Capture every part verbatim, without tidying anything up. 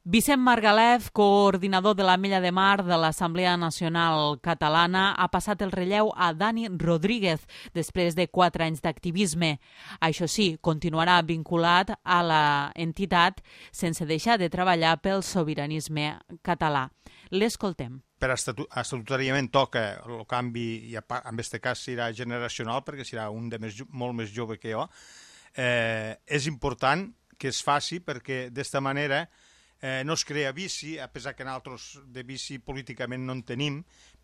Vicent Margalef, coordinador de l'Ametlla de Mar de l'Assemblea Nacional Catalana, ha passat el relleu a Dani Rodríguez després de quatre anys d'activisme. Això sí, continuarà vinculat a l'entitat sense deixar de treballar pel sobiranisme català. L'escoltem. Per estatutàriament toca el canvi, i en aquest cas serà generacional, perquè serà un de més, molt més jove que jo. Eh, és important que es faci perquè d'esta manera Eh, no es crea vici, a pesar que nosaltres de vici políticament no en tenim,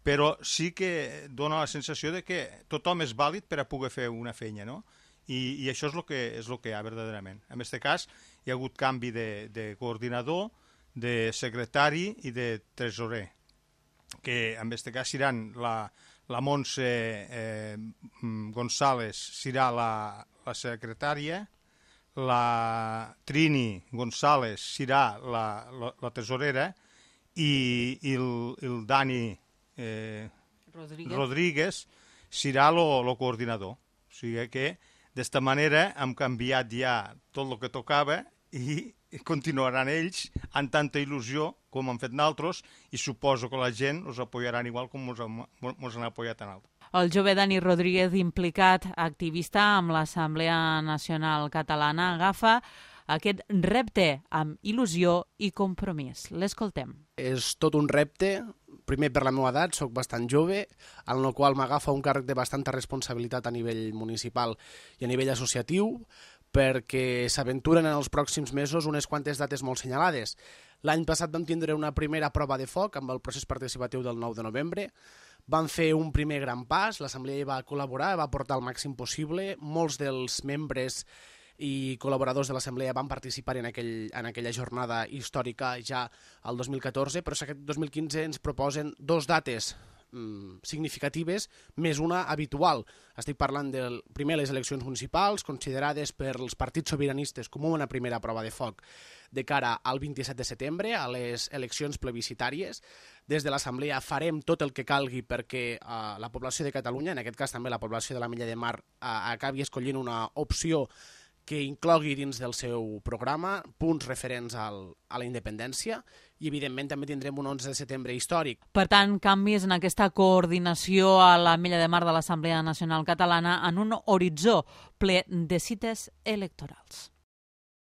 però sí que dona la sensació de que tothom és vàlid per a poder fer una feina, no? I, i això és el que, és el que hi ha verdaderament. En aquest cas hi ha hagut canvi de, de coordinador, de secretari i de tresorer, que en aquest cas seran la, la Montse eh, González serà la, la secretària, la Trini González serà la, la, la tesorera i, i el, el Dani eh, Rodríguez. Rodríguez serà el coordinador. O sigui que d'esta manera hem canviat ja tot el que tocava i continuaran ells amb tanta il·lusió com han fet nosaltres i suposo que la gent els apoyaran igual com ens han apoyat a nosaltres. El jove Dani Rodríguez, implicat, activista amb l'Assemblea Nacional Catalana, agafa aquest repte amb il·lusió i compromís. L'escoltem. És tot un repte, primer per la meva edat, soc bastant jove, en el qual m'agafa un càrrec de bastanta responsabilitat a nivell municipal i a nivell associatiu, perquè s'aventuren en els pròxims mesos unes quantes dates molt senyalades. L'any passat vam tindre una primera prova de foc amb el procés participatiu del nou de novembre. Vam fer un primer gran pas, l'Assemblea hi va col·laborar, va portar el màxim possible. Molts dels membres i col·laboradors de l'Assemblea van participar en, aquell, en aquella jornada històrica ja el dos mil catorze, però aquest dos mil quinze ens proposen dos dates mm, significatives, més una habitual. Estic parlant del primer les eleccions municipals, considerades per els partits sobiranistes com una primera prova de foc de cara al vint-i-set de setembre, a les eleccions plebiscitàries. Des de l'Assemblea farem tot el que calgui perquè uh, la població de Catalunya, en aquest cas també la població de l'Ametlla de Mar, uh, acabi escollint una opció que inclogui dins del seu programa punts referents al, a la independència i, evidentment, també tindrem un onze de setembre històric. Per tant, canvis en aquesta coordinació a l'Ametlla de Mar de l'Assemblea Nacional Catalana en un horitzó ple de cites electorals.